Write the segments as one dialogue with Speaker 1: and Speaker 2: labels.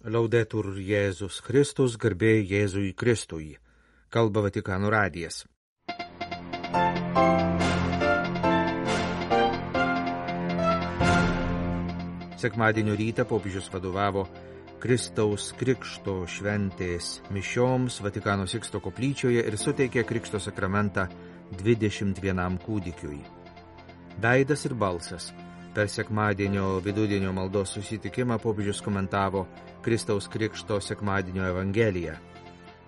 Speaker 1: Laudetur Jėzus Kristus, garbė Jėzui Kristui. Kalba Vatikano radijas. Sekmadienio rytą popiežius vadovavo Kristaus Krikšto šventės mišioms Vatikano Siksto koplyčioje ir suteikė Krikšto sakramentą 21 kūdikiui. Veidas ir balsas. Per sekmadienio vidudienio maldos susitikimą popiežius komentavo Kristaus Krikšto sekmadienio evangeliją.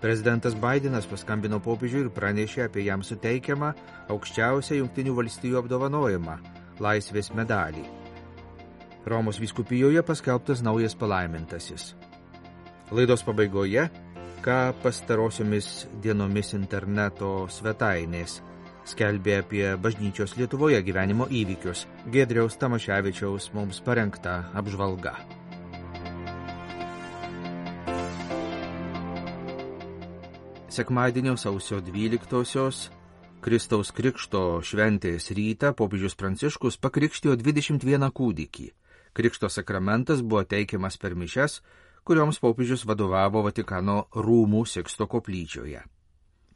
Speaker 1: Prezidentas Baidenas paskambino popiežiui ir pranešė apie jam suteikiamą aukščiausią Jungtinių valstijų apdovanojimą – Laisvės medalį. Romos vyskupijoje paskelbtas naujas palaimintasis. Laidos pabaigoje, ką pastarosiomis dienomis interneto svetainės skelbė apie bažnyčios Lietuvoje gyvenimo įvykius. Giedriaus Tamaševičiaus mums parengta apžvalga. Sekmadienio sausio 12-osios Kristaus Krikšto šventės rytą popiežius Pranciškus pakrikštijo 21 kūdikį. Krikšto sakramentas buvo teikiamas per mišias, kurioms popiežius vadovavo Vatikano rūmų Siksto koplyčioje.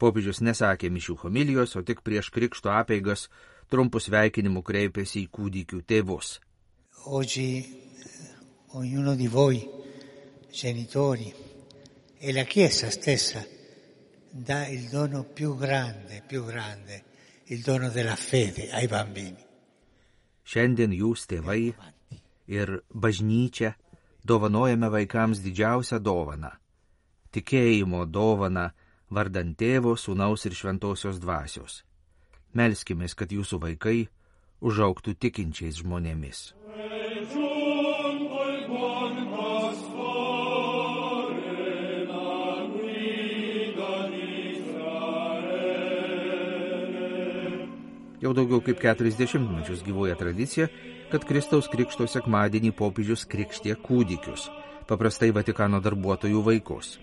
Speaker 1: Popiežius nesakė mišių homilijos, o tik prieš krikšto apeigas trumpų sveikinimų kreipėsi į kūdikių tėvus.
Speaker 2: Oggi ognuno di voi, genitori, e la Chiesa stessa dà il dono più grande, il dono della fede ai bambini.
Speaker 1: Šiandien jūs, tėvai ir bažnyčia, dovanojame vaikams didžiausią dovaną – tikėjimo dovaną vardant Tėvo, Sūnaus ir Šventosios dvasios. Melskimės, kad jūsų vaikai užaugtų tikinčiais žmonėmis. Jau daugiau kaip 40 mečius gyvuoja tradicija, kad Kristaus Krikšto sekmadienį popiežius krikštė kūdikius, paprastai Vatikano darbuotojų vaikus.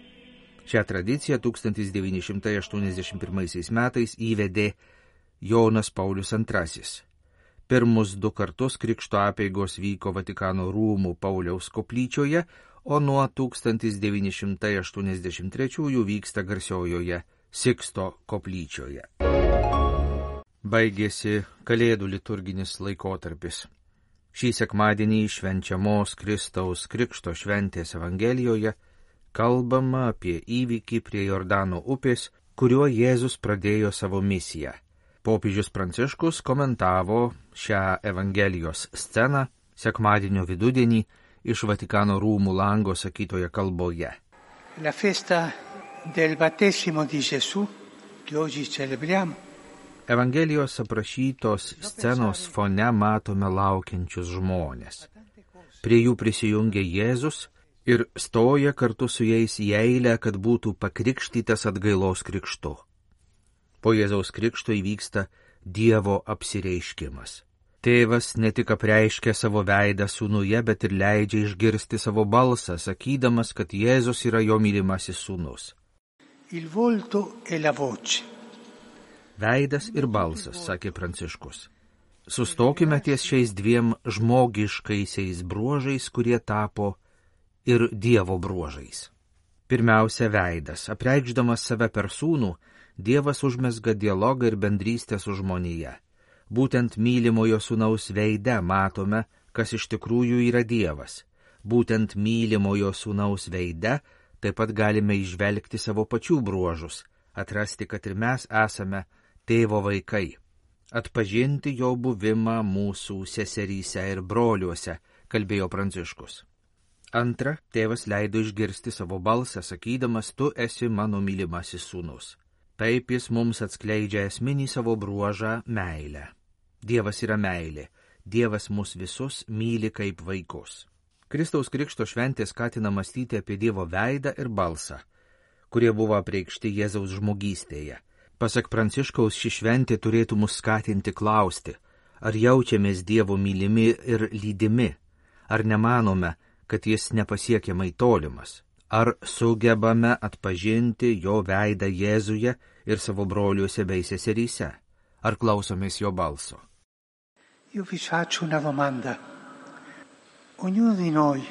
Speaker 1: Šią tradiciją 1981 metais įvedė Jonas Paulius II. Pirmus 2 kartus krikšto apeigos vyko Vatikano rūmų Pauliaus koplyčioje, o nuo 1983 vyksta garsiojoje Siksto koplyčioje. Baigėsi Kalėdų liturginis laikotarpis. Šį sekmadienį švenčiamos Kristaus Krikšto šventės evangelijoje kalbama apie įvykį prie Jordano upės, kuriuo Jėzus pradėjo savo misiją. Popiežius Pranciškus komentavo šią evangelijos sceną sekmadienio vidudienį iš Vatikano rūmų lango sakytoje kalboje.
Speaker 2: La festa del battesimo di Gesù, che oggi celebriamo.
Speaker 1: Evangelijos aprašytos scenos fone matome laukiančius žmonės. Prie jų prisijungia Jėzus ir stoja kartu su jais į eilę, kad būtų pakrikštytas atgailos krikštu. Po Jėzaus krikšto įvyksta Dievo apsireiškimas. Tėvas ne tik apreiškia savo veidą sūnuje, bet ir leidžia išgirsti savo balsą, sakydamas, kad Jėzus yra jo mylimasis sūnus.
Speaker 2: Il volto e la voce.
Speaker 1: Veidas ir balsas, sakė Pranciškus. Sustokime ties šiais 2 žmogiškaisiais bruožais, kurie tapo ir Dievo bruožais. Pirmiausia, veidas. Apreikšdamas save per sūnų, Dievas užmezga dialogą ir bendrystę su žmonija. Būtent mylimojo sūnaus veide matome, kas iš tikrųjų yra Dievas. Būtent mylimojo sūnaus veide taip pat galime įžvelgti savo pačių bruožus, atrasti, kad ir mes esame Tėvo vaikai. Atpažinti jo buvimą mūsų seseryse ir broliuose, kalbėjo Pranciškus. Antra, tėvas leido išgirsti savo balsą, sakydamas, tu esi mano mylimasis sūnus. Taip jis mums atskleidžia esminį savo bruožą – meilę. Dievas yra meilė. Dievas mus visus myli kaip vaikus. Kristaus Krikšto šventė skatina mąstyti apie Dievo veidą ir balsą, kurie buvo apreikšti Jėzaus žmogystėje. Pasak Pranciškaus, ši šventė turėtų mus skatinti klausti, ar jaučiamės Dievo mylimi ir lydimi, ar nemanome, kad jis nepasiekiamai tolimas, ar sugebame atpažinti jo veidą Jėzuje ir savo broliuose bei seseryse, ar klausomės jo balso.
Speaker 2: Io vi faccio una domanda. Ognuno di noi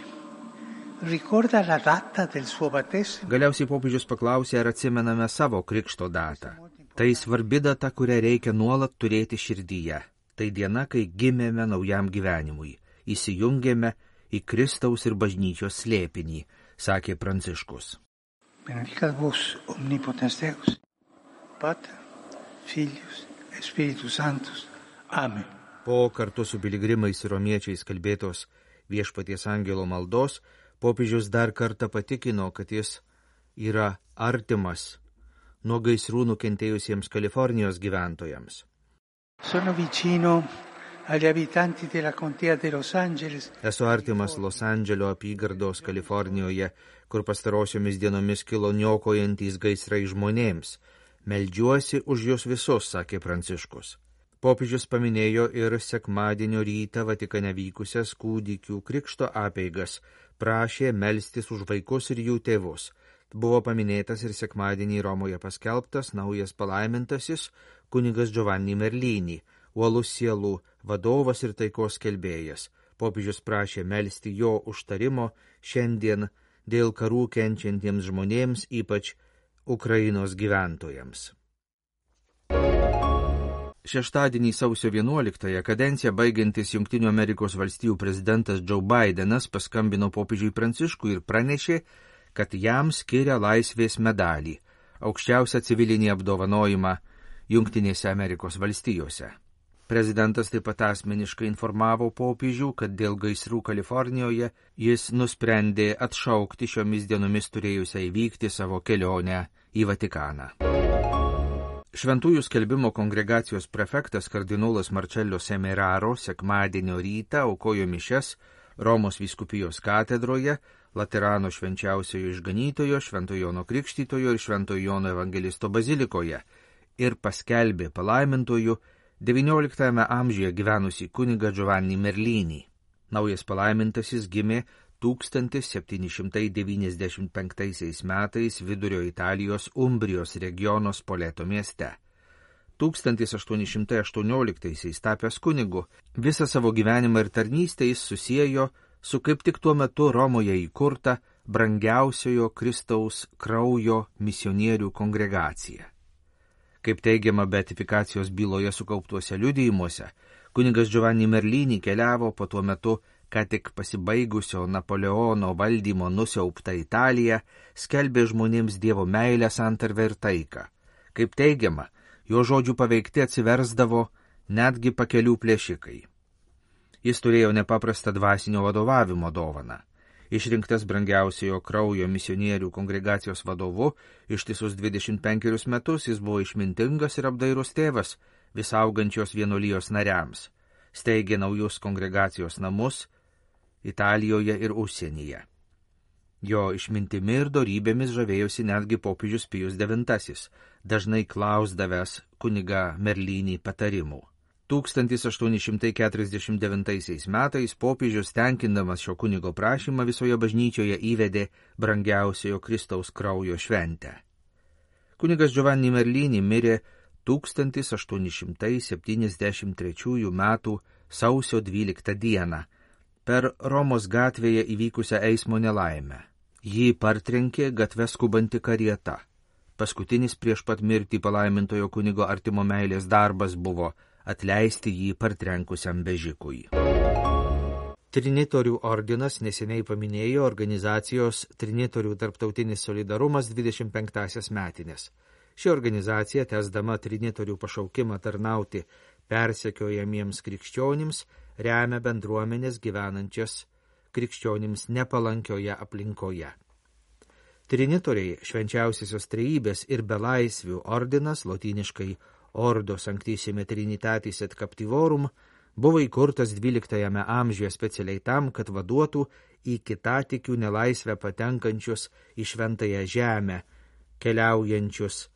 Speaker 2: ricorda la data del suo battesimo.
Speaker 1: Galiausiai popiežius paklausė, ar atsimename savo krikšto datą. Tai svarbi data, kurią reikia nuolat turėti širdyje. Tai diena, kai gimėme naujam gyvenimui, įsijungėme į Kristaus ir bažnyčios slėpinį, sakė Pranciškus.
Speaker 2: Benedicat vos omnipotens Deus, Pater, Filius et Spiritus Sanctus. Amen.
Speaker 1: Po kartu su piligrimais ir romiečiais kalbėtos Viešpaties angelo maldos, popiežius dar kartą patikino, kad jis yra artimas nuo gaisrų nukentėjusiems Kalifornijos gyventojams.
Speaker 2: Sono vicino agli abitanti della contea di Los Angeles.
Speaker 1: Esu artimas Los Andželio apygardos Kalifornijoje, kur pastarosiomis dienomis kilo niokojantys gaisrai žmonėms. Meldžiuosi už jūs visus, sakė Pranciškus. Popiežius paminėjo ir sekmadienio rytą Vatikane vykusias kūdikių krikšto apeigas, prašė melstis už vaikus ir jų tėvus. Buvo paminėtas ir sekmadienį Romoje paskelbtas naujas palaimintasis kunigas Giovanni Merlini, uolus sielų vadovas ir taikos skelbėjas. Popiežius prašė melsti jo užtarimo šiandien dėl karų kenčiantiems žmonėms, ypač Ukrainos gyventojams. Šeštadienį sausio 11-ąją kadenciją baigiantis Jungtinių Amerikos valstijų prezidentas Joe Bidenas paskambino popiežiui Pranciškui ir pranešė, kad jam skiria laisvės medalį, aukščiausią civilinį apdovanojimą Jungtinėse Amerikos valstijose. Prezidentas taip pat asmeniškai informavo popiežių, kad dėl gaisrų Kalifornijoje jis nusprendė atšaukti šiomis dienomis turėjusią įvykti savo kelionę į Vatikaną. Šventųjų skelbimo kongregacijos prefektas kardinolas Marcello Semeraro sekmadienio rytą aukojo mišias Romos vyskupijos katedroje, Laterano švenčiausiojo išganytojo, Šventojo Jono Krikštytojo ir Šventojo Jono evangelisto bazilikoje ir paskelbė palaimintojų XIX amžiuje gyvenusį kunigą Giovanni Merlini. Naujas palaimintasis gimė 1795 metais Vidurio Italijos Umbrijos regiono Spoleto mieste. 1818 tapęs kunigu, visą savo gyvenimą ir tarnystę jis susiejo su kaip tik tuo metu Romoje įkurta brangiausiojo Kristaus kraujo misionierių kongregacija. Kaip teigiama beatifikacijos byloje sukauptuose liudijimuose, kunigas Giovanni Merlini keliavo po tuo metu ką tik pasibaigusio Napoleono valdymo nusiauptą Italiją, skelbė žmonėms Dievo meilę, santarvę ir taiką. Kaip teigiama, jo žodžių paveikti atsiversdavo netgi pakelių plėšikai. Jis turėjo nepaprastą dvasinio vadovavimo dovaną. Išrinktas brangiausiojo kraujo misionierių kongregacijos vadovu, ištisus 25 metus jis buvo išmintingas ir apdairus tėvas visaugančios vienuolijos nariams, steigė naujus kongregacijos namus Italijoje ir užsienyje. Jo išmintimi ir dorybėmis žavėjosi netgi popiežius Pijus IX, dažnai klausdavęs kunigą Merlinį patarimų. 1849 metais popiežius, tenkindamas šio kunigo prašymą, visoje bažnyčioje įvedė brangiausiojo Kristaus kraujo šventę. Kunigas Giovanni Merlini mirė 1873 metų sausio 12 dieną per Romos gatvėje įvykusią eismo nelaimę. Jį partrenkė gatve skubanti karieta. Paskutinis prieš pat mirtį palaimintojo kunigo artimo meilės darbas buvo atleisti jį partrenkusiam vežikui. Trinitorių ordinas neseniai paminėjo organizacijos Trinitorių tarptautinis solidarumas 25-asias metinės. Ši organizacija, tęsdama trinitorių pašaukimą tarnauti persekiojamiems krikščionims, remia bendruomenės gyvenančias krikščionims nepalankioje aplinkoje. Trinitoriai, švenčiausiosios trejybės ir belaisvių ordinas, lotyniškai Ordo Sanctissime Trinitatis et Captivorum, buvo įkurtas 12 amžiuje specialiai tam, kad vaduotų į kitatikių nelaisvę patenkančius į šventąją žemę, keliaujančius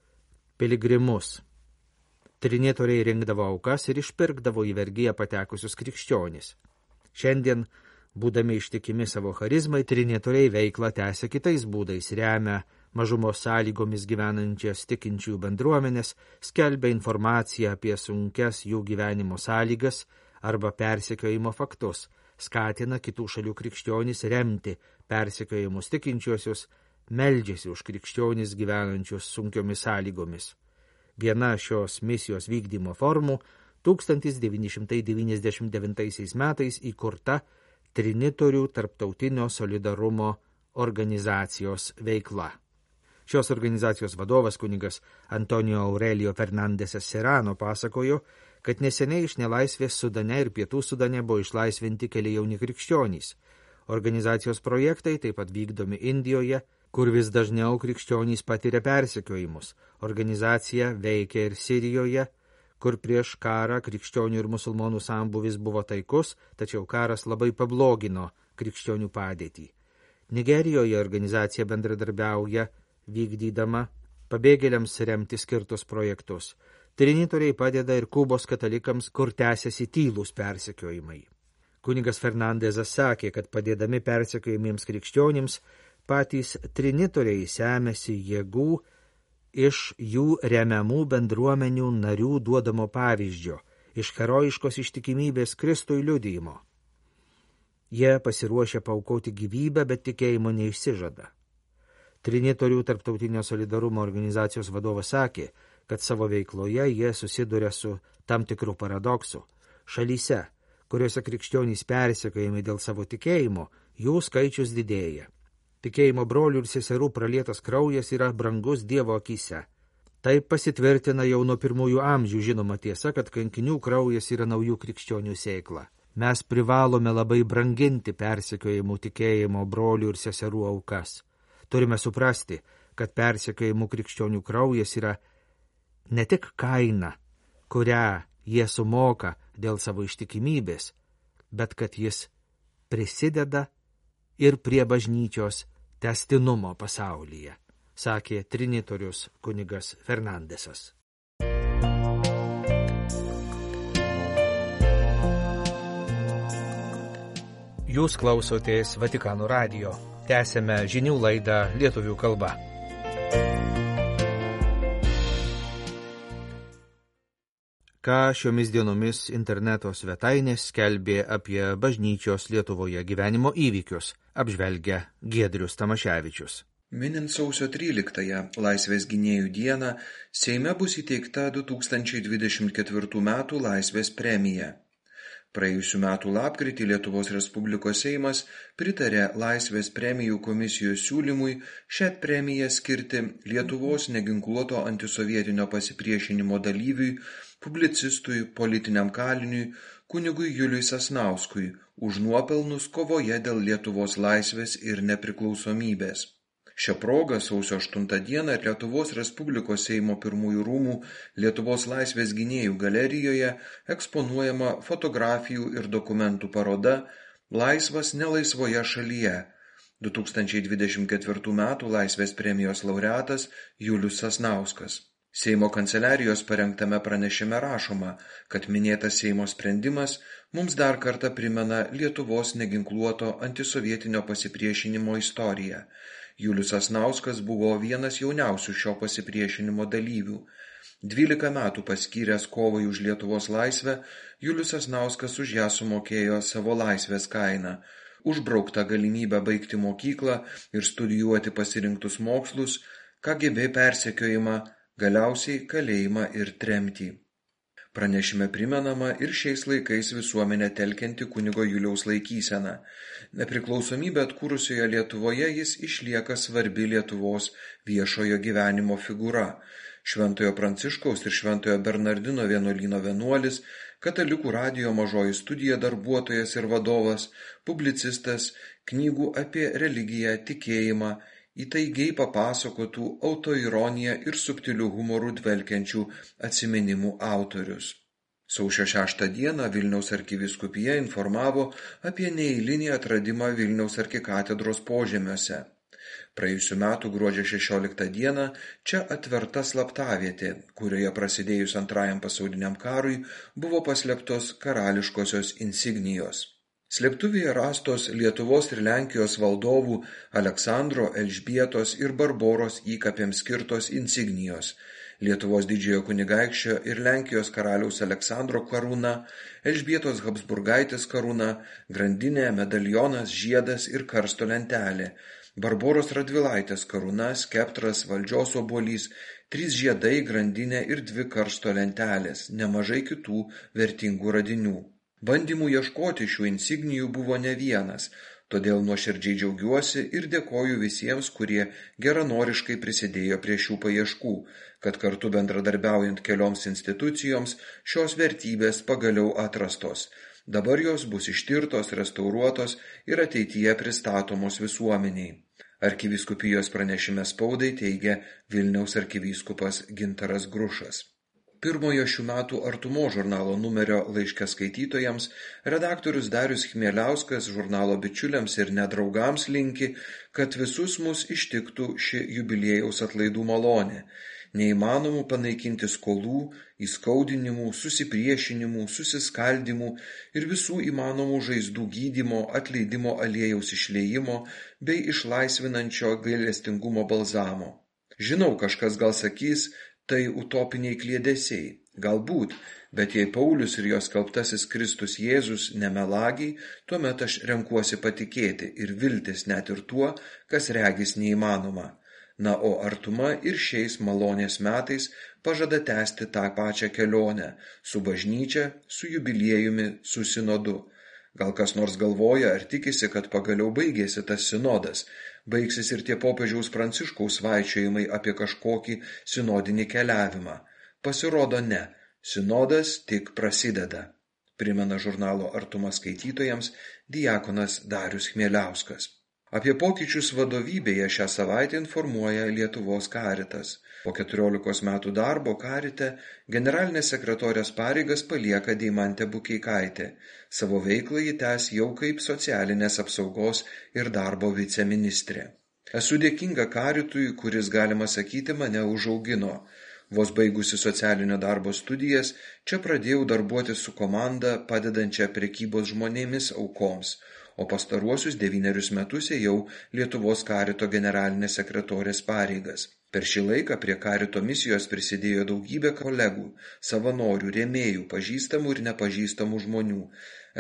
Speaker 1: piligrimus. Trinitoriai rinkdavo aukas ir išpirkdavo į vergiją patekusius krikščionis. Šiandien, būdami ištikimi savo charizmai, trinitoriai veiklą tęsia kitais būdais, remia mažumos sąlygomis gyvenančias tikinčių bendruomenės, skelbia informaciją apie sunkias jų gyvenimo sąlygas arba persekiojimo faktus, skatina kitų šalių krikščionis remti persekiojimus tikinčiuosius, meldžiasi už krikščionis gyvenančius sunkiomis sąlygomis. Viena šios misijos vykdymo formų 1999 metais įkurta Trinitorių tarptautinio solidarumo organizacijos veikla. Šios organizacijos vadovas kunigas Antonio Aurelio Fernandesas Serrano pasakojo, kad neseniai iš nelaisvės Sudane ir Pietų Sudane buvo išlaisvinti keli jauni krikščionys. Organizacijos projektai taip pat vykdomi Indijoje, kur vis dažniau krikščionys patiria persekiojimus. Organizacija veikia ir Sirijoje, kur prieš karą krikščionių ir musulmonų sambūvis buvo taikus, tačiau karas labai pablogino krikščionių padėtį. Nigerijoje organizacija bendradarbiauja, vykdydama pabėgėliams remti skirtus projektus. Trinitoriai padeda ir Kubos katalikams, kur tęsiasi tylūs persekiojimai. Kunigas Fernandesas sakė, kad padėdami persekiojimiems krikščionims, patys trinitoriai semiasi jėgų iš jų remiamų bendruomenių narių duodamo pavyzdžio, iš herojiškos ištikimybės Kristui liudijimo. Jie pasiruošia paaukoti gyvybę, bet tikėjimo neišsižada. Trinitorių tarptautinio solidarumo organizacijos vadovas sakė, kad savo veikloje jie susiduria su tam tikrų paradoksų. Šalyse, kuriuose krikščionys persekiojami dėl savo tikėjimo, jų skaičius didėja. Tikėjimo brolių ir seserų pralietas kraujas yra brangus Dievo akyse. Taip pasitvirtina jau nuo pirmųjų amžių žinoma tiesa, kad kankinių kraujas yra naujų krikščionių sėkla. Mes privalome labai branginti persekiojimų tikėjimo brolių ir seserų aukas. Turime suprasti, kad persekiojimų krikščionių kraujas yra ne tik kaina, kurią jie sumoka dėl savo ištikimybės, bet kad jis prisideda ir prie bažnyčios tęstinumo pasaulyje, sakė trinitorius kunigas Fernandesas. Jūs klausotės Vatikano radijo. Tęsėme žinių laidą lietuvių kalba. Ką šiomis dienomis interneto svetainės skelbė apie bažnyčios Lietuvoje gyvenimo įvykius, apžvelgia Giedrius Tamaševičius.
Speaker 3: Minint sausio 13-ąją Laisvės gynėjų dieną, Seime bus įteikta 2024 metų Laisvės premija. Praėjusių metų lapkritį Lietuvos Respublikos Seimas pritarė Laisvės premijų komisijos siūlymui šią premiją skirti Lietuvos neginkluoto antisovietinio pasipriešinimo dalyviui, publicistui, politiniam kaliniui, kunigui Juliui Sasnauskui už nuopelnus kovoje dėl Lietuvos laisvės ir nepriklausomybės. Šią progą sausio 8 dieną Lietuvos Respublikos Seimo pirmųjų rūmų Lietuvos laisvės gynėjų galerijoje eksponuojama fotografijų ir dokumentų paroda Laisvas nelaisvoje šalyje. 2024 metų Laisvės premijos laureatas Julius Sasnauskas. Seimo kanceliarijos parengtame pranešime rašoma, kad minėtas Seimo sprendimas mums dar kartą primena Lietuvos neginkluoto antisovietinio pasipriešinimo istoriją. Julius Sasnauskas buvo vienas jauniausių šio pasipriešinimo dalyvių. 12 metų paskyręs kovai už Lietuvos laisvę, Julius Sasnauskas už ją sumokėjo savo laisvės kainą. Užbraukta galimybę baigti mokyklą ir studijuoti pasirinktus mokslus, KGB persekiojimą, galiausiai kalėjimą ir tremtį. Pranešime primenama ir šiais laikais visuomenę telkianti kunigo Juliaus laikysena. Nepriklausomybę atkūrusioje Lietuvoje jis išlieka svarbi Lietuvos viešojo gyvenimo figūra. Šventojo Pranciškaus ir Šventojo Bernardino vienuolyno vienuolis, Katalikų radijo Mažoji studija darbuotojas ir vadovas, publicistas, knygų apie religiją, tikėjimą, įtaigiai papasakotų autoironiją ir subtilių humorų dvelkiančių atsiminimų autorius. Sausio 6 dieną Vilniaus arkivyskupija informavo apie neeilinį atradimą Vilniaus arkikatedros požemiuose. Praėjusių metų gruodžio 16 dieną čia atverta slaptavietė, kurioje prasidėjus Antrajam pasauliniam karui buvo paslėptos karališkosios insignijos. Slėptuvėje rastos Lietuvos ir Lenkijos valdovų Aleksandro, Elžbietos ir Barboros įkapėms skirtos insignijos, Lietuvos didžiojo kunigaikščio ir Lenkijos karaliaus Aleksandro karūna, Elžbietos Habsburgaitės karūna, grandinė, medalionas, žiedas ir karsto lentelė, Barboros Radvilaitės karūna, skeptras, valdžios obuolys, 3 žiedai, grandinė ir 2 karsto lentelės, nemažai kitų vertingų radinių. Bandymų ieškoti šių insignijų buvo ne vienas, todėl nuoširdžiai džiaugiuosi ir dėkoju visiems, kurie geranoriškai prisidėjo prie šių paieškų, kad kartu bendradarbiaujant kelioms institucijoms šios vertybės pagaliau atrastos. Dabar jos bus ištirtos, restauruotos ir ateityje pristatomos visuomeniai. Arkivyskupijos pranešime spaudai teigia Vilniaus arkivyskupas Gintaras Grušas. Pirmojo šių metų Artumos žurnalo numerio laiške skaitytojams redaktorius Darius Chmieliauskas žurnalo bičiuliams ir nedraugams linki, kad visus mus ištiktų ši jubiliejaus atlaidų malonė. Neįmanomų panaikinti skolų, įskaudinimų, susipriešinimų, susiskaldimų ir visų įmanomų žaizdų gydymo, atleidimo aliejaus išliejimo bei išlaisvinančio gailestingumo balzamo. Žinau, kažkas gal sakys, tai utopiniai kliedesiai. Galbūt, bet jei Paulius ir jo skelbtasis Kristus Jėzus nemelagiai, tuomet aš renkuosi patikėti ir viltis net ir tuo, kas regis neįmanoma. Na, o artuma ir šiais malonės metais pažada tęsti tą pačią kelionę su bažnyčia, su jubiliejumi, su sinodu. Gal kas nors galvoja ar tikisi, kad pagaliau baigėsi tas sinodas, baigsis ir tie popiežiaus Pranciškaus svaičiojimai apie kažkokį sinodinį keliavimą. Pasirodo ne, sinodas tik prasideda, primena žurnalo Artuma skaitytojams diakonas Darius Chmieliauskas. Apie pokyčius vadovybėje šią savaitę informuoja Lietuvos Karitas. Po 14 metų darbo Karite generalinės sekretorės pareigas palieka Deimantė Bukeikaitė. Savo veiklą ji tęs jau kaip socialinės apsaugos ir darbo viceministrė. Esu dėkinga Karitui, kuris, galima sakyti, mane užaugino. Vos baigusi socialinio darbo studijas, čia pradėjau darbuotis su komanda padedančia prekybos žmonėmis aukoms, o pastaruosius 9 metus ėjau Lietuvos Karito generalinės sekretorės pareigas. Per šį laiką prie Karito misijos prisidėjo daugybė kolegų, savanorių, rėmėjų, pažįstamų ir nepažįstamų žmonių.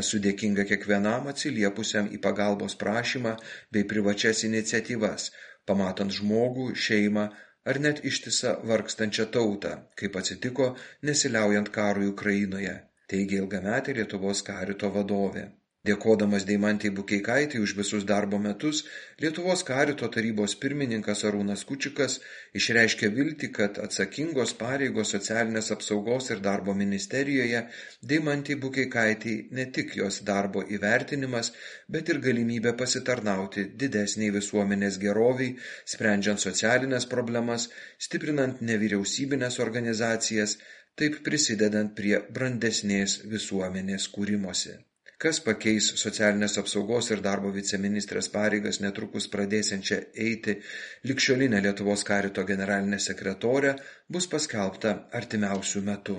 Speaker 3: Esu dėkinga kiekvienam atsiliepusiam į pagalbos prašymą bei privačias iniciatyvas, pamatant žmogų, šeimą ar net ištisą vargstančią tautą, kaip atsitiko nesiliaujant karui Ukrainoje, teigia ilgametė Lietuvos Karito vadovė. Dėkodamas Deimantei Bukeikaitei už visus darbo metus, Lietuvos Karito tarybos pirmininkas Arūnas Kučikas išreiškė viltį, kad atsakingos pareigos socialinės apsaugos ir darbo ministerijoje Deimantei Bukeikaitei ne tik jos darbo įvertinimas, bet ir galimybė pasitarnauti didesniai visuomenės geroviai, sprendžiant socialinės problemas, stiprinant nevyriausybinės organizacijas, taip prisidedant prie brandesnės visuomenės kūrimosi. Kas pakeis socialinės apsaugos ir darbo viceministrės pareigas netrukus pradėsiančią eiti ligšiolinę Lietuvos Karito generalinę sekretorę, bus paskelbta artimiausių metų.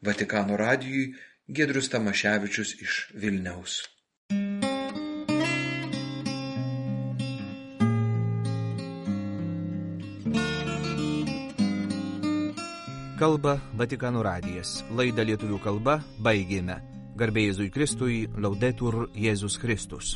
Speaker 3: Vatikano radijui Giedrius Tamaševičius iš Vilniaus.
Speaker 1: Kalba Vatikano radijas. Laidą lietuvių kalba baigėme. Garbė Jėzui Kristui, Laudetur Jėzus Kristus.